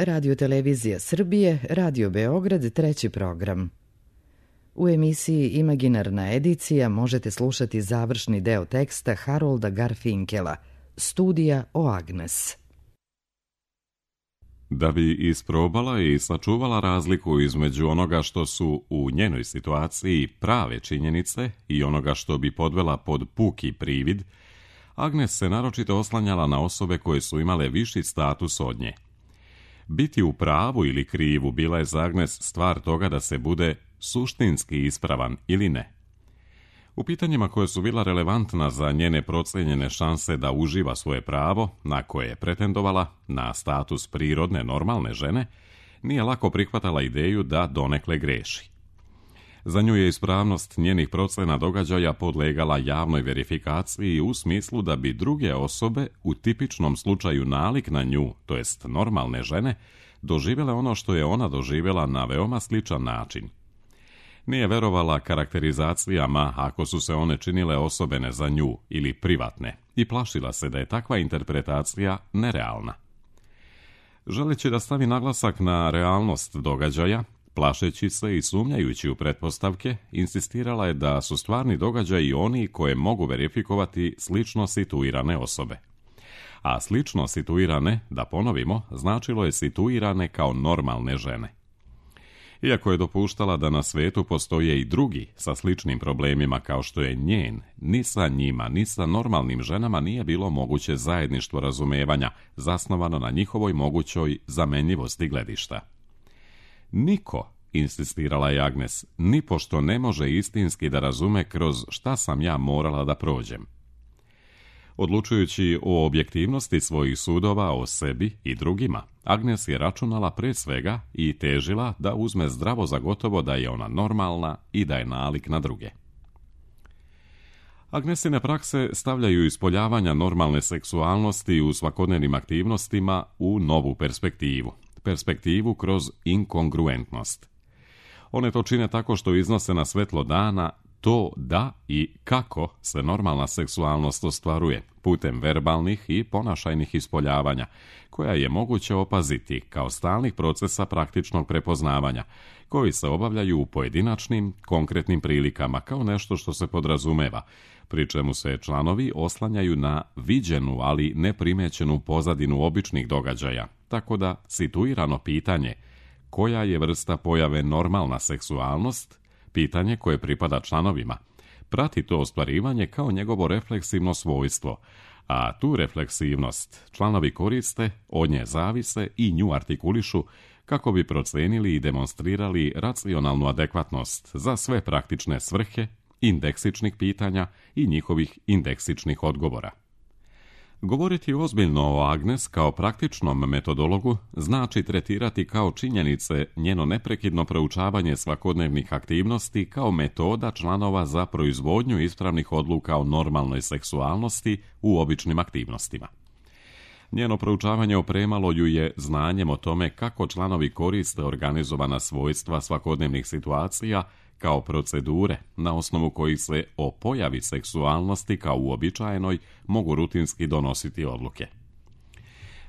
Radio Televizija Srbije, Radio Beograd, treći program. U emisiji Imaginarna edicija možete slušati završni deo teksta Harolda Garfinkela, Studija o Agnes. Da bi isprobala i sačuvala razliku između onoga što su u njenoj situaciji prave činjenice i onoga što bi podvela pod puki privid, Agnes se naročito oslanjala na osobe koje su imale viši status od nje. Biti u pravu ili krivu bila je za Agnes stvar toga da se bude suštinski ispravan ili ne. U pitanjima koje su bila relevantna za njene procenjene šanse da uživa svoje pravo, na koje je pretendovala, na status prirodne, normalne žene, nije lako prihvatala ideju da donekle greši. Za nju je ispravnost njenih procena događaja podlegala javnoj verifikaciji u smislu da bi druge osobe, u tipičnom slučaju nalik na nju, to jest normalne žene, doživjele ono što je ona doživjela na veoma sličan način. Nije verovala karakterizacijama ako su se one činile osobene za nju ili privatne i plašila se da je takva interpretacija nerealna. Želeći da stavi naglasak na realnost događaja, plašeći se i sumnjajući u pretpostavke, insistirala je da su stvarni događaji oni koje mogu verifikovati slično situirane osobe. A slično situirane, da ponovimo, značilo je situirane kao normalne žene. Iako je dopuštala da na svetu postoje i drugi sa sličnim problemima kao što je njen, ni sa njima, ni sa normalnim ženama nije bilo moguće zajedništvo razumevanja zasnovano na njihovoj mogućoj zamenljivosti gledišta. Niko, insistirala je Agnes, nipošto ne može istinski da razume kroz šta sam ja morala da prođem. Odlučujući o objektivnosti svojih sudova o sebi i drugima, Agnes je računala pre svega i težila da uzme zdravo za gotovo da je ona normalna i da je nalik na druge. Agnesine prakse stavljaju ispoljavanja normalne seksualnosti u svakodnevnim aktivnostima u novu perspektivu. Perspektivu kroz inkongruentnost. One to čine tako što iznose na svetlo dana to da i kako se normalna seksualnost ostvaruje putem verbalnih i ponašajnih ispoljavanja, koja je moguće opaziti kao stalnih procesa praktičnog prepoznavanja, koji se obavljaju u pojedinačnim, konkretnim prilikama kao nešto što se podrazumeva, pri čemu se članovi oslanjaju na viđenu, ali neprimećenu pozadinu običnih događaja, tako da situirano pitanje koja je vrsta pojave normalna seksualnost, pitanje koje pripada članovima, prati to ostvarivanje kao njegovo refleksivno svojstvo, a tu refleksivnost članovi koriste, od nje zavise i nju artikulišu kako bi procenili i demonstrirali racionalnu adekvatnost za sve praktične svrhe, indeksičnih pitanja i njihovih indeksičnih odgovora. Govoriti ozbiljno o Agnes kao praktičnom metodologu znači tretirati kao činjenice njeno neprekidno proučavanje svakodnevnih aktivnosti kao metoda članova za proizvodnju ispravnih odluka o normalnoj seksualnosti u običnim aktivnostima. Njeno proučavanje opremalo ju je znanjem o tome kako članovi koriste organizovana svojstva svakodnevnih situacija kao procedure na osnovu kojih se o pojavi seksualnosti kao uobičajenoj mogu rutinski donositi odluke.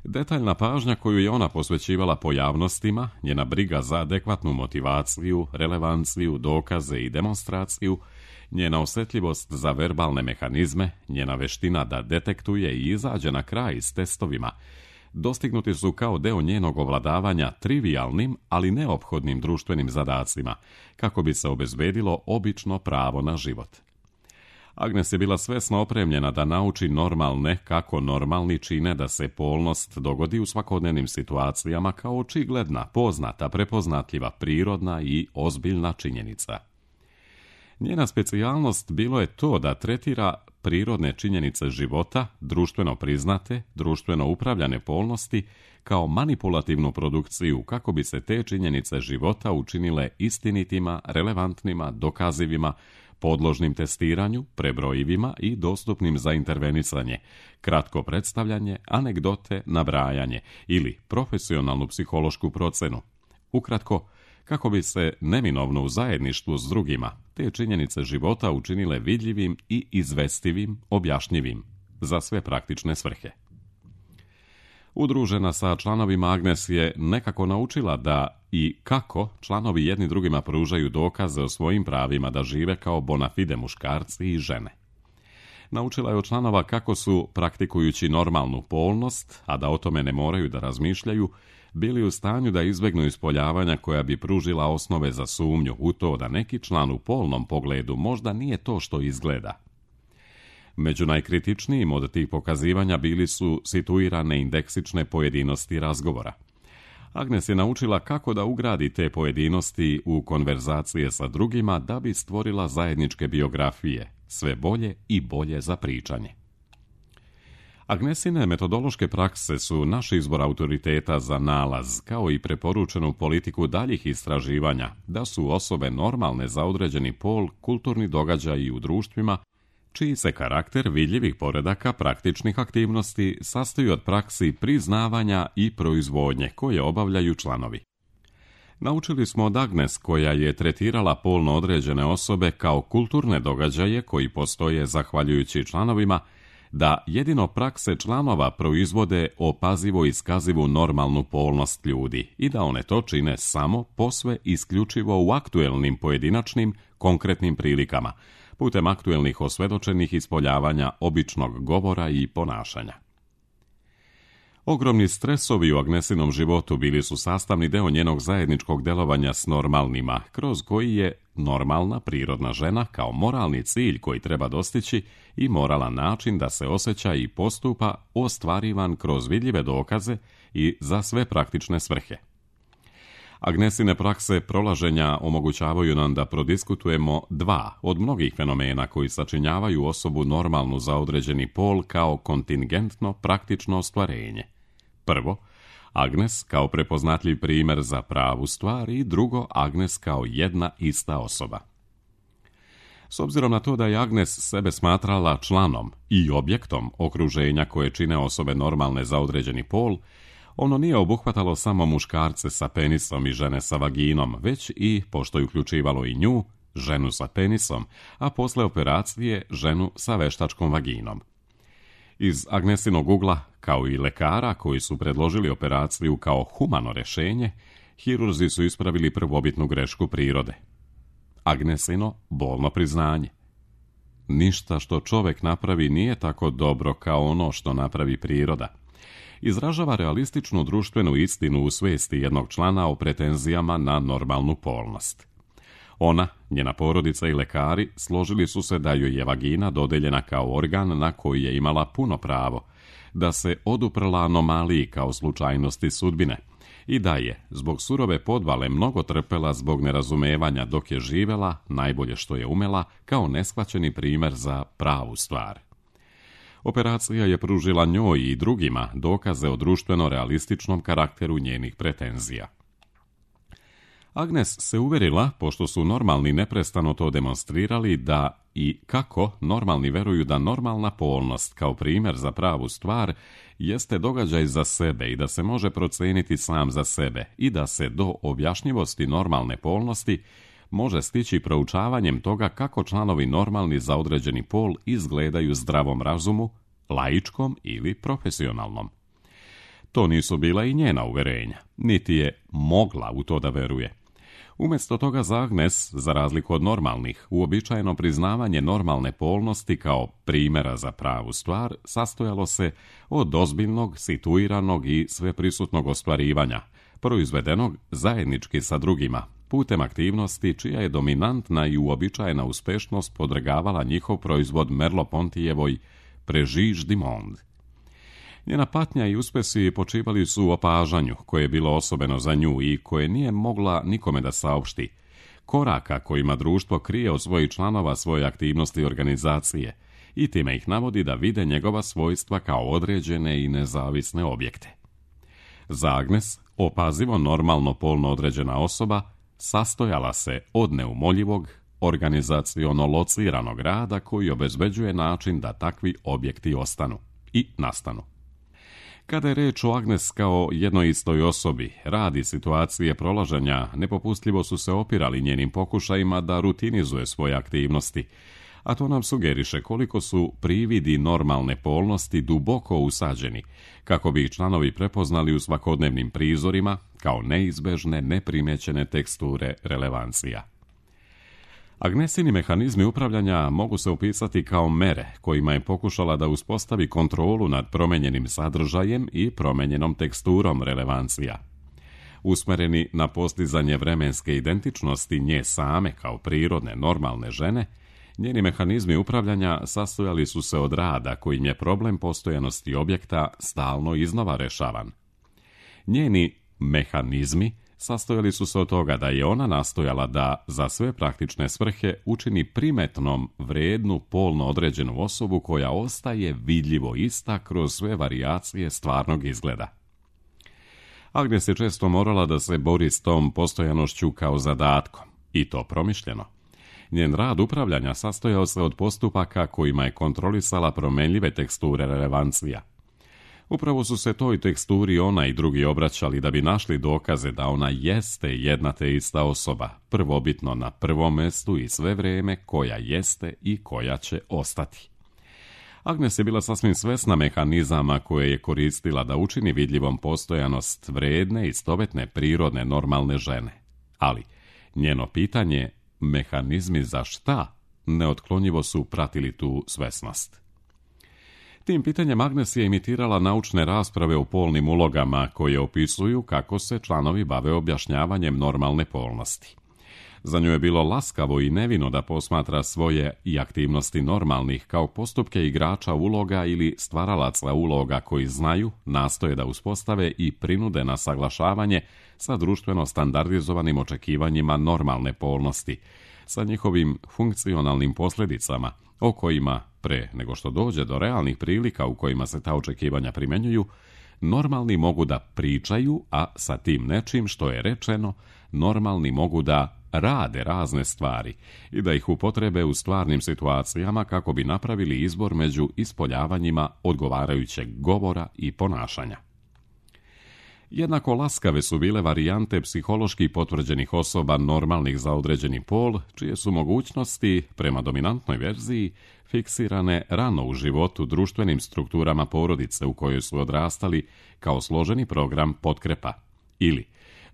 Detaljna pažnja koju je ona posvećivala pojavnostima, njena briga za adekvatnu motivaciju, relevanciju, dokaze i demonstraciju, njena osjetljivost za verbalne mehanizme, njena veština da detektuje i izađe na kraj s testovima, dostignuti su kao deo njenog ovladavanja trivijalnim, ali neophodnim društvenim zadacima, kako bi se obezbedilo obično pravo na život. Agnes je bila svesno opremljena da nauči normalne kako normalni čine da se polnost dogodi u svakodnevnim situacijama kao očigledna, poznata, prepoznatljiva, prirodna i ozbiljna činjenica. Njena specijalnost bilo je to da tretira prirodne činjenice života, društveno priznate, društveno upravljane polnosti, kao manipulativnu produkciju kako bi se te činjenice života učinile istinitima, relevantnima, dokazivima, podložnim testiranju, prebrojivima i dostupnim za intervenisanje, kratko predstavljanje, anegdote, nabrajanje ili profesionalnu psihološku procenu. Ukratko, kako bi se neminovno u zajedništvu s drugima te činjenice života učinile vidljivim i izvestivim, objašnjivim, za sve praktične svrhe. Udružena sa članovima, Agnes je nekako naučila da i kako članovi jedni drugima pružaju dokaze o svojim pravima da žive kao bona fide muškarci i žene. Naučila je od članova kako su, praktikujući normalnu polnost, a da o tome ne moraju da razmišljaju, bili u stanju da izbjegnu ispoljavanja koja bi pružila osnove za sumnju u to da neki član u polnom pogledu možda nije to što izgleda. Među najkritičnijim od tih pokazivanja bili su situirane indeksične pojedinosti razgovora. Agnes je naučila kako da ugradi te pojedinosti u konverzacije sa drugima da bi stvorila zajedničke biografije, sve bolje i bolje za pričanje. Agnesine metodološke prakse su naš izbor autoriteta za nalaz, kao i preporučenu politiku daljih istraživanja, da su osobe normalne za određeni pol kulturni događaji u društvima, čiji se karakter vidljivih poredaka praktičnih aktivnosti sastoji od praksi priznavanja i proizvodnje koje obavljaju članovi. Naučili smo od Agnes, koja je tretirala polno određene osobe kao kulturne događaje koji postoje zahvaljujući članovima, da jedino prakse članova proizvode opazivo iskazivu normalnu polnost ljudi i da one to čine samo posve isključivo u aktuelnim pojedinačnim konkretnim prilikama, putem aktuelnih osvedočenih ispoljavanja običnog govora i ponašanja. Ogromni stresovi u Agnesinom životu bili su sastavni deo njenog zajedničkog delovanja s normalnima, kroz koji je normalna prirodna žena kao moralni cilj koji treba dostići i moralan način da se osjeća i postupa ostvarivan kroz vidljive dokaze i za sve praktične svrhe. Agnesine prakse prolaženja omogućavaju nam da prodiskutujemo dva od mnogih fenomena koji sačinjavaju osobu normalnu za određeni pol kao kontingentno praktično ostvarenje. Prvo, Agnes kao prepoznatljiv primjer za pravu stvar i drugo, Agnes kao jedna ista osoba. S obzirom na to da je Agnes sebe smatrala članom i objektom okruženja koje čine osobe normalne za određeni pol, ono nije obuhvatalo samo muškarce sa penisom i žene sa vaginom, već i, pošto je uključivalo i nju, ženu sa penisom, a posle operacije ženu sa veštačkom vaginom. Iz Agnesinog ugla, kao i lekara koji su predložili operaciju kao humano rješenje, hirurzi su ispravili prvobitnu grešku prirode. Agnesino bolno priznanje. Ništa što čovjek napravi nije tako dobro kao ono što napravi priroda. Izražava realističnu društvenu istinu u svijesti jednog člana o pretenzijama na normalnu polnost. Ona, njena porodica i lekari složili su se da joj je vagina dodeljena kao organ na koji je imala puno pravo, da se oduprla anomaliji kao slučajnosti sudbine i da je, zbog surove podvale, mnogo trpela zbog nerazumevanja dok je živela, najbolje što je umela, kao neshvaćeni primjer za pravu stvar. Operacija je pružila njoj i drugima dokaze o društveno realističnom karakteru njenih pretenzija. Agnes se uverila, pošto su normalni neprestano to demonstrirali, da i kako normalni veruju da normalna polnost kao primjer za pravu stvar jeste događaj za sebe i da se može procijeniti sam za sebe i da se do objašnjivosti normalne polnosti može stići proučavanjem toga kako članovi normalni za određeni pol izgledaju zdravom razumu, laičkom ili profesionalnom. To nisu bila i njena uverenja, niti je mogla u to da veruje. Umjesto toga za Agnes, za razliku od normalnih, uobičajeno priznavanje normalne polnosti kao primjera za pravu stvar sastojalo se od ozbiljnog, situiranog i sveprisutnog ostvarivanja, proizvedenog zajednički sa drugima, putem aktivnosti čija je dominantna i uobičajena uspešnost podvrgavala njihov proizvod Merleau-Pontijevoj Préjugés du monde. Njena patnja i uspesi počivali su u opažanju, koje je bilo osobeno za nju i koje nije mogla nikome da saopšti, koraka kojima društvo krije od svojih članova svoje aktivnosti i organizacije i time ih navodi da vide njegova svojstva kao određene i nezavisne objekte. Za Agnes, opazivo normalno polno određena osoba sastojala se od neumoljivog, organizaciono lociranog rada koji obezbeđuje način da takvi objekti ostanu i nastanu. Kada je reč o Agnes kao jednoj istoj osobi, rad i situacije prolaženja nepopustljivo su se opirali njenim pokušajima da rutinizuje svoje aktivnosti, a to nam sugeriše koliko su prividi normalne polnosti duboko usađeni, kako bi ih članovi prepoznali u svakodnevnim prizorima kao neizbežne, neprimećene teksture relevancija. Agnesini mehanizmi upravljanja mogu se opisati kao mere kojima je pokušala da uspostavi kontrolu nad promenjenim sadržajem i promenjenom teksturom relevancija. Usmereni na postizanje vremenske identičnosti nje same kao prirodne, normalne žene, njeni mehanizmi upravljanja sastojali su se od rada kojim je problem postojanosti objekta stalno iznova rešavan. Njeni mehanizmi sastojali su se od toga da je ona nastojala da za sve praktične svrhe učini primetnom vrednu polno određenu osobu koja ostaje vidljivo ista kroz sve varijacije stvarnog izgleda. Agnes je često morala da se bori s tom postojanošću kao zadatkom, i to promišljeno. Njen rad upravljanja sastojao se od postupaka kojima je kontrolisala promenljive teksture relevancija. Upravo su se toj teksturi ona i drugi obraćali da bi našli dokaze da ona jeste jedna te ista osoba, prvobitno na prvom mestu i sve vrijeme koja jeste i koja će ostati. Agnes je bila sasvim svesna mehanizama koje je koristila da učini vidljivom postojanost vredne, istovjetne, prirodne, normalne žene. Ali njeno pitanje, mehanizmi za šta, neotklonjivo su pratili tu svesnost. Tim pitanjem Agnes je imitirala naučne rasprave o polnim ulogama koje opisuju kako se članovi bave objašnjavanjem normalne polnosti. Za nju je bilo laskavo i nevino da posmatra svoje i aktivnosti normalnih kao postupke igrača uloga ili stvaralaca uloga koji znaju, nastoje da uspostave i prinude na saglašavanje sa društveno standardizovanim očekivanjima normalne polnosti, sa njihovim funkcionalnim posljedicama, o kojima, pre nego što dođe do realnih prilika u kojima se ta očekivanja primjenjuju, normalni mogu da pričaju, a sa tim nečim što je rečeno, normalni mogu da rade razne stvari i da ih upotrebe u stvarnim situacijama kako bi napravili izbor među ispoljavanjima odgovarajućeg govora i ponašanja. Jednako laskave su bile varijante psihološki potvrđenih osoba normalnih za određeni pol, čije su mogućnosti, prema dominantnoj verziji, fiksirane rano u životu društvenim strukturama porodice u kojoj su odrastali kao složeni program potkrepa, ili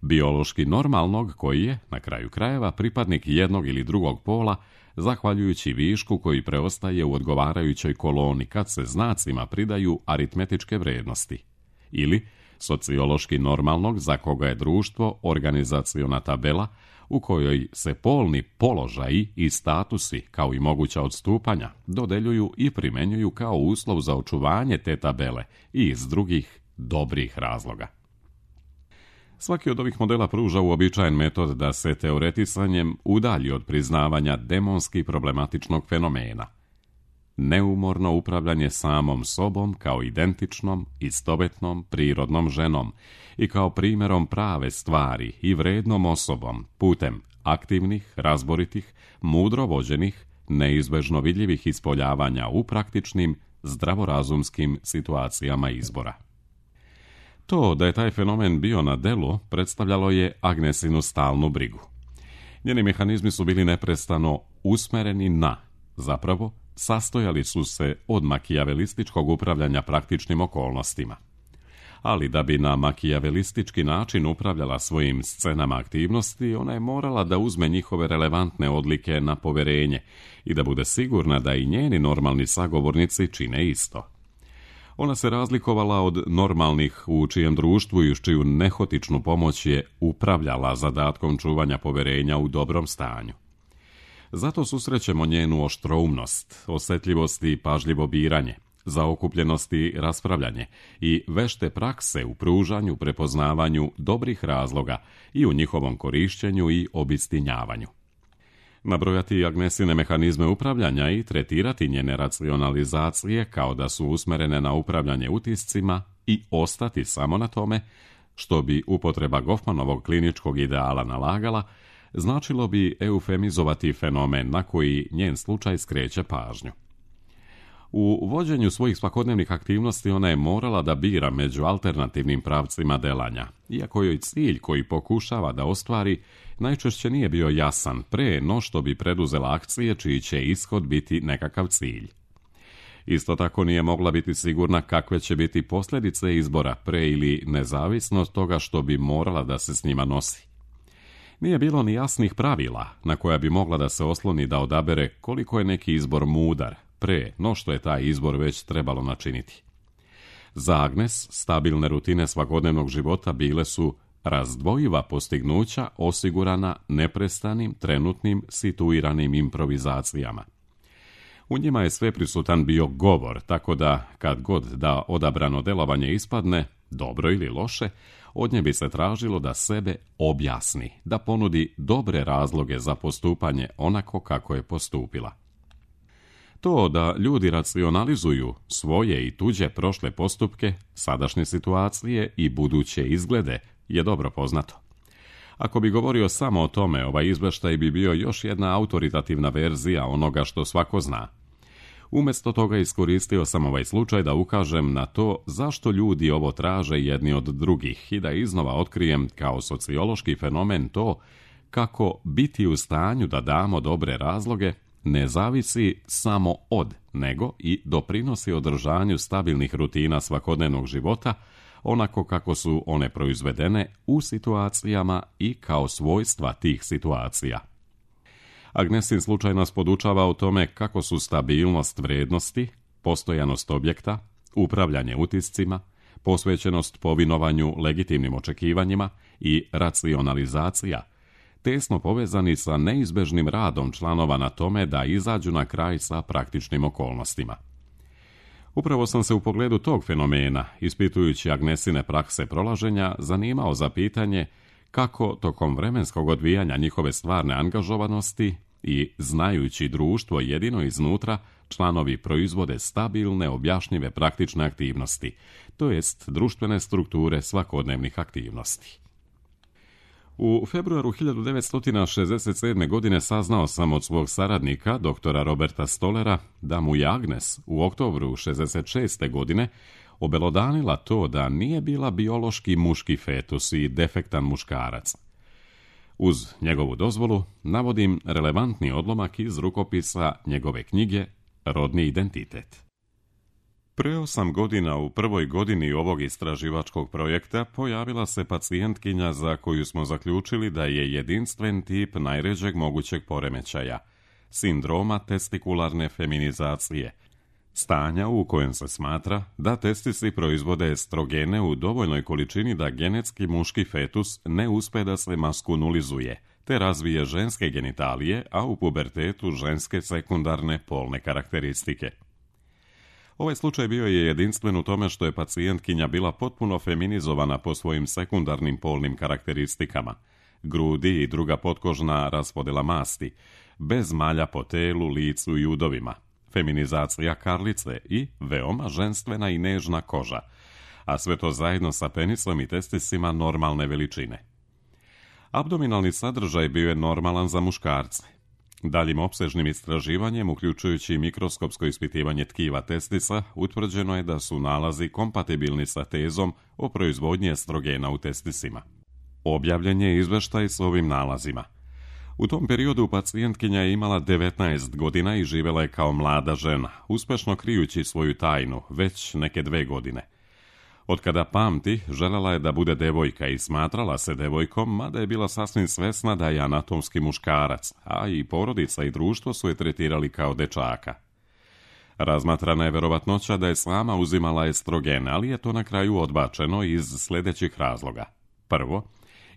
biološki normalnog koji je, na kraju krajeva, pripadnik jednog ili drugog pola, zahvaljujući višku koji preostaje u odgovarajućoj koloni kad se znacima pridaju aritmetičke vrednosti, ili sociološki normalnog za koga je društvo organizaciona tabela u kojoj se polni položaji i statusi kao i moguća odstupanja dodeljuju i primenjuju kao uslov za očuvanje te tabele i iz drugih dobrih razloga. Svaki od ovih modela pruža uobičajen metod da se teoretisanjem udalji od priznavanja demonski problematičnog fenomena. Neumorno upravljanje samom sobom kao identičnom, istovjetnom, prirodnom ženom i kao primjerom prave stvari i vrednom osobom putem aktivnih, razboritih, mudro vođenih, neizbežno vidljivih ispoljavanja u praktičnim, zdravorazumskim situacijama izbora. To da je taj fenomen bio na delu predstavljalo je Agnesinu stalnu brigu. Njeni mehanizmi su bili neprestano usmereni na, zapravo, sastojali su se od makijavelističkog upravljanja praktičnim okolnostima. Ali da bi na makijavelistički način upravljala svojim scenama aktivnosti, ona je morala da uzme njihove relevantne odlike na poverenje i da bude sigurna da i njeni normalni sagovornici čine isto. Ona se razlikovala od normalnih u čijem društvu i uz čiju nehotičnu pomoć je upravljala zadatkom čuvanja poverenja u dobrom stanju. Zato susrećemo njenu oštroumnost, osjetljivost i pažljivo biranje, zaokupljenost i raspravljanje i vešte prakse u pružanju, prepoznavanju dobrih razloga i u njihovom korišćenju i obistinjavanju. Nabrojati Agnesine mehanizme upravljanja i tretirati njene racionalizacije kao da su usmerene na upravljanje utiscima i ostati samo na tome, što bi upotreba Goffmanovog kliničkog ideala nalagala, značilo bi eufemizovati fenomen na koji njen slučaj skreće pažnju. U vođenju svojih svakodnevnih aktivnosti ona je morala da bira među alternativnim pravcima delanja, iako joj cilj koji pokušava da ostvari najčešće nije bio jasan pre no što bi preduzela akcije čiji će ishod biti nekakav cilj. Isto tako nije mogla biti sigurna kakve će biti posljedice izbora pre ili nezavisno od toga što bi morala da se s njima nosi. Nije bilo ni jasnih pravila na koja bi mogla da se osloni da odabere koliko je neki izbor mudar, pre no što je taj izbor već trebalo načiniti. Za Agnes stabilne rutine svakodnevnog života bile su razdvojiva postignuća osigurana neprestanim, trenutnim, situiranim improvizacijama. U njima je sveprisutan bio govor, tako da kad god da odabrano delovanje ispadne, dobro ili loše, od nje bi se tražilo da sebe objasni, da ponudi dobre razloge za postupanje onako kako je postupila. To da ljudi racionalizuju svoje i tuđe prošle postupke, sadašnje situacije i buduće izglede je dobro poznato. Ako bi govorio samo o tome, ovaj izveštaj bi bio još jedna autoritativna verzija onoga što svako zna. Umjesto toga iskoristio sam ovaj slučaj da ukažem na to zašto ljudi ovo traže jedni od drugih i da iznova otkrijem kao sociološki fenomen to kako biti u stanju da damo dobre razloge ne zavisi samo od, nego i doprinosi održanju stabilnih rutina svakodnevnog života, onako kako su one proizvedene u situacijama i kao svojstva tih situacija. Agnesin slučaj nas podučava o tome kako su stabilnost vrednosti, postojanost objekta, upravljanje utiscima, posvećenost povinovanju legitimnim očekivanjima i racionalizacija tesno povezani sa neizbežnim radom članova na tome da izađu na kraj sa praktičnim okolnostima. Upravo sam se u pogledu tog fenomena, ispitujući Agnesine prakse prolaženja, zanimao za pitanje kako tokom vremenskog odvijanja njihove stvarne angažovanosti i znajući društvo jedino iznutra, članovi proizvode stabilne, objašnjive praktične aktivnosti, to jest društvene strukture svakodnevnih aktivnosti. U februaru 1967. godine saznao sam od svog saradnika, doktora Roberta Stolera, da mu je Agnes u oktobru 1966. godine obelodanila to da nije bila biološki muški fetus i defektan muškarac. Uz njegovu dozvolu navodim relevantni odlomak iz rukopisa njegove knjige Rodni identitet. Pre 8 godina u prvoj godini ovog istraživačkog projekta pojavila se pacijentkinja za koju smo zaključili da je jedinstven tip najređeg mogućeg poremećaja, sindroma testikularne feminizacije, stanja u kojem se smatra da testisi proizvode estrogene u dovoljnoj količini da genetski muški fetus ne uspe da se maskulizuje, te razvije ženske genitalije, a u pubertetu ženske sekundarne polne karakteristike. Ovaj slučaj bio je jedinstven u tome što je pacijentkinja bila potpuno feminizovana po svojim sekundarnim polnim karakteristikama, grudi i druga potkožna raspodela masti, bez malja po telu, licu i udovima, feminizacija karlice i veoma ženstvena i nežna koža, a sve to zajedno sa penisom i testisima normalne veličine. Abdominalni sadržaj bio je normalan za muškarce. Daljim opsežnim istraživanjem, uključujući mikroskopsko ispitivanje tkiva testisa, utvrđeno je da su nalazi kompatibilni sa tezom o proizvodnji estrogena u testisima. Objavljen je izveštaj s ovim nalazima. U tom periodu pacijentkinja je imala 19 godina i živjela je kao mlada žena, uspešno krijući svoju tajnu već neke 2 godine. Od kada pamti, želela je da bude devojka i smatrala se devojkom, mada je bila sasvim svesna da je anatomski muškarac, a i porodica i društvo su je tretirali kao dečaka. Razmatrana je verovatnoća da je sama uzimala estrogene, ali je to na kraju odbačeno iz sljedećih razloga. Prvo,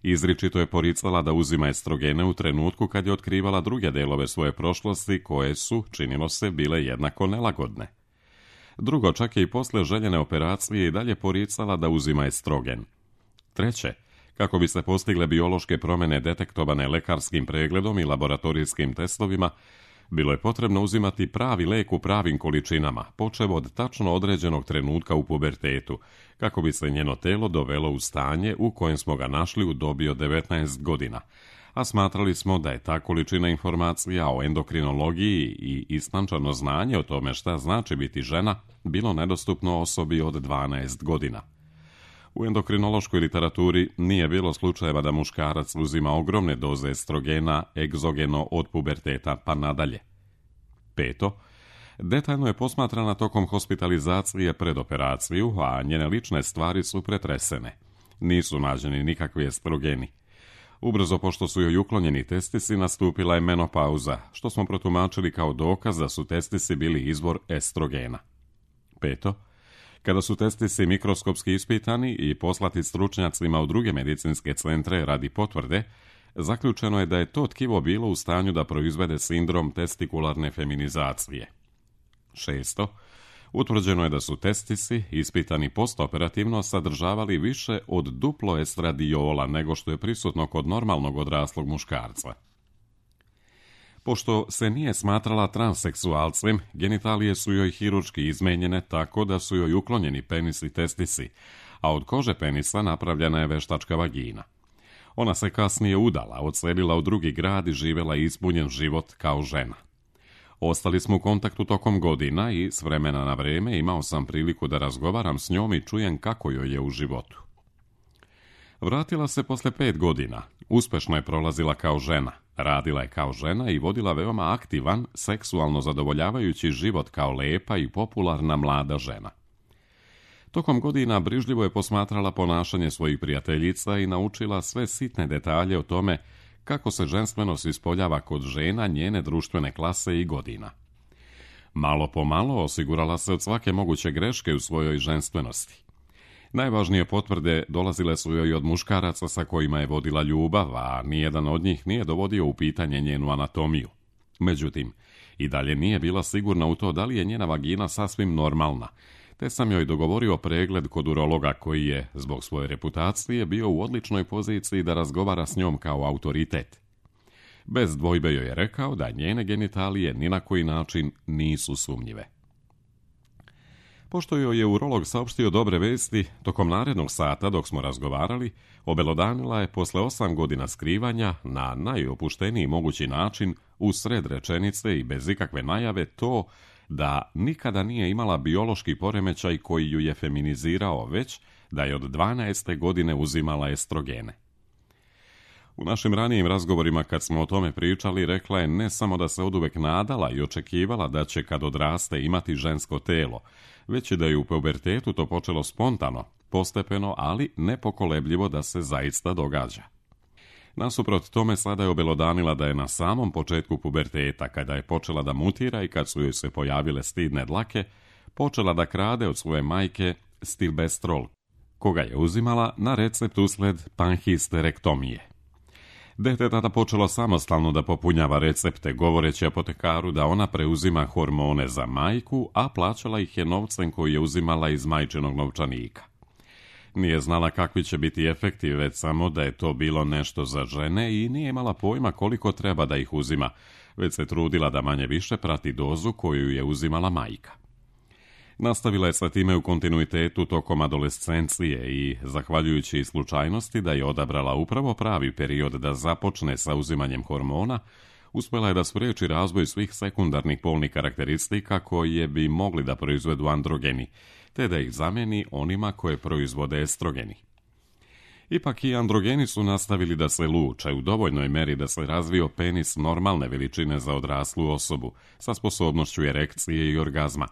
izričito je poricala da uzima estrogene u trenutku kad je otkrivala druge delove svoje prošlosti koje su, činilo se, bile jednako nelagodne. Drugo, čak je i posle željene operacije i dalje poricala da uzima estrogen. Treće, kako bi se postigle biološke promjene detektovane lekarskim pregledom i laboratorijskim testovima, bilo je potrebno uzimati pravi lek u pravim količinama, počev od tačno određenog trenutka u pubertetu, kako bi se njeno telo dovelo u stanje u kojem smo ga našli u dobi od 19 godina, a smatrali smo da je ta količina informacija o endokrinologiji i istančano znanje o tome šta znači biti žena bilo nedostupno osobi od 12 godina. U endokrinološkoj literaturi nije bilo slučajeva da muškarac uzima ogromne doze estrogena egzogeno od puberteta pa nadalje. 5. Detaljno je posmatrana tokom hospitalizacije pred operaciju, a njene lične stvari su pretresene. Nisu nađeni nikakvi estrogeni. Ubrzo pošto su joj uklonjeni testisi, nastupila je menopauza, što smo protumačili kao dokaz da su testisi bili izvor estrogena. 5. Kada su testisi mikroskopski ispitani i poslati stručnjacima u druge medicinske centre radi potvrde, zaključeno je da je to tkivo bilo u stanju da proizvede sindrom testikularne feminizacije. 6. Utvrđeno je da su testisi, ispitani postoperativno, sadržavali više od duplo estradiola nego što je prisutno kod normalnog odraslog muškarca. Pošto se nije smatrala transseksualcem, genitalije su joj hirurški izmenjene tako da su joj uklonjeni penis i testisi, a od kože penisa napravljena je veštačka vagina. Ona se kasnije udala, odselila u drugi grad i živjela ispunjen život kao žena. Ostali smo u kontaktu tokom godina i s vremena na vreme imao sam priliku da razgovaram s njom i čujem kako joj je u životu. Vratila se posle 5 godina, uspešno je prolazila kao žena, radila je kao žena i vodila veoma aktivan, seksualno zadovoljavajući život kao lepa i popularna mlada žena. Tokom godina brižljivo je posmatrala ponašanje svojih prijateljica i naučila sve sitne detalje o tome kako se ženstvenost ispoljava kod žena njene društvene klase i godina. Malo po malo osigurala se od svake moguće greške u svojoj ženstvenosti. Najvažnije potvrde dolazile su joj od muškaraca sa kojima je vodila ljubav, a nijedan od njih nije dovodio u pitanje njenu anatomiju. Međutim, i dalje nije bila sigurna u to da li je njena vagina sasvim normalna, te sam joj dogovorio pregled kod urologa koji je, zbog svoje reputacije, bio u odličnoj poziciji da razgovara s njom kao autoritet. Bez dvojbe joj je rekao da njene genitalije ni na koji način nisu sumnjive. Pošto joj je urolog saopštio dobre vesti, tokom narednog sata dok smo razgovarali, obelodanila je posle 8 godina skrivanja na najopušteniji mogući način, u sred rečenice i bez ikakve najave, to da nikada nije imala biološki poremećaj koji ju je feminizirao, već da je od 12. godine uzimala estrogene. U našim ranijim razgovorima kad smo o tome pričali, rekla je ne samo da se oduvek nadala i očekivala da će kad odraste imati žensko telo, već i da je u pubertetu to počelo spontano, postepeno, ali nepokolebljivo da se zaista događa. Nasuprot tome sada je obelodanila da je na samom početku puberteta, kada je počela da mutira i kad su joj se pojavile stidne dlake, počela da krade od svoje majke stilbestrol, koga je uzimala na recept usled panhisterektomije. Dete tada počelo samostalno da popunjava recepte, govoreći apotekaru da ona preuzima hormone za majku, a plaćala ih je novcem koji je uzimala iz majčinog novčanika. Nije znala kakvi će biti efekti, već samo da je to bilo nešto za žene i nije imala pojma koliko treba da ih uzima, već se trudila da manje više prati dozu koju je uzimala majka. Nastavila je sa time u kontinuitetu tokom adolescencije i, zahvaljujući slučajnosti da je odabrala upravo pravi period da započne sa uzimanjem hormona, uspjela je da spriječi razvoj svih sekundarnih polnih karakteristika koje bi mogli da proizvedu androgeni, te da ih zameni onima koje proizvode estrogeni. Ipak i androgeni su nastavili da se luče u dovoljnoj meri da se razvio penis normalne veličine za odraslu osobu, sa sposobnošću erekcije i orgazma,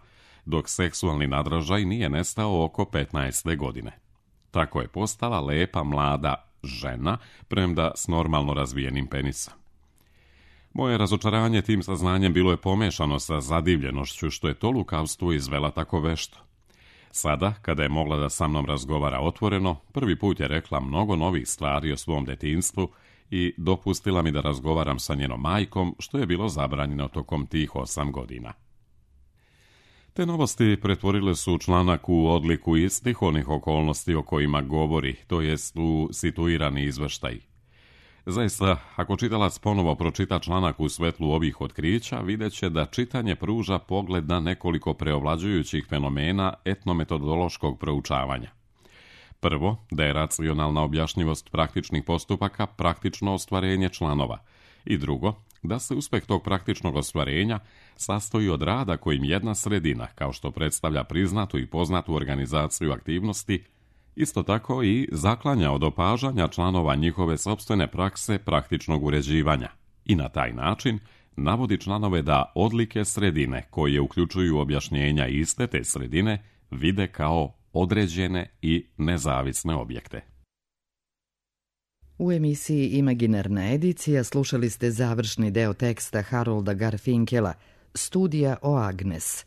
dok seksualni nadražaj nije nestao oko 15. godine. Tako je postala lepa mlada žena, premda s normalno razvijenim penisom. Moje razočaranje tim saznanjem bilo je pomešano sa zadivljenošću što je to lukavstvo izvela tako vešto. Sada, kada je mogla da sa mnom razgovara otvoreno, prvi put je rekla mnogo novih stvari o svom detinjstvu i dopustila mi da razgovaram sa njenom majkom, što je bilo zabranjeno tokom tih 8 godina. Te novosti pretvorile su članak u odliku istih onih okolnosti o kojima govori, to jest u situirani izveštaj. Zaista, ako čitalac ponovo pročita članak u svetlu ovih otkrića, vidjet će da čitanje pruža pogled na nekoliko preovlađujućih fenomena etnometodološkog proučavanja. Prvo, da je racionalna objašnjivost praktičnih postupaka praktično ostvarenje članova. I drugo, da se uspeh tog praktičnog ostvarenja sastoji od rada kojim jedna sredina, kao što predstavlja priznatu i poznatu organizaciju aktivnosti, isto tako i zaklanja od opažanja članova njihove sopstvene prakse praktičnog uređivanja i na taj način navodi članove da odlike sredine koje uključuju objašnjenja iste te sredine vide kao određene i nezavisne objekte. U emisiji Imaginarna edicija slušali ste završni deo teksta Harolda Garfinkela Studija o Agnes.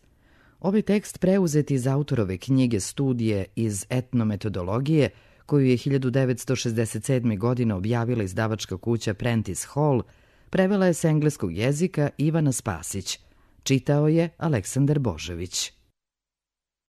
Ovaj tekst preuzet iz autorove knjige Studije iz etnometodologije, koju je 1967. godine objavila izdavačka kuća Prentice Hall, prevela je s engleskog jezika Ivana Spasić. Čitao je Aleksandar Božović.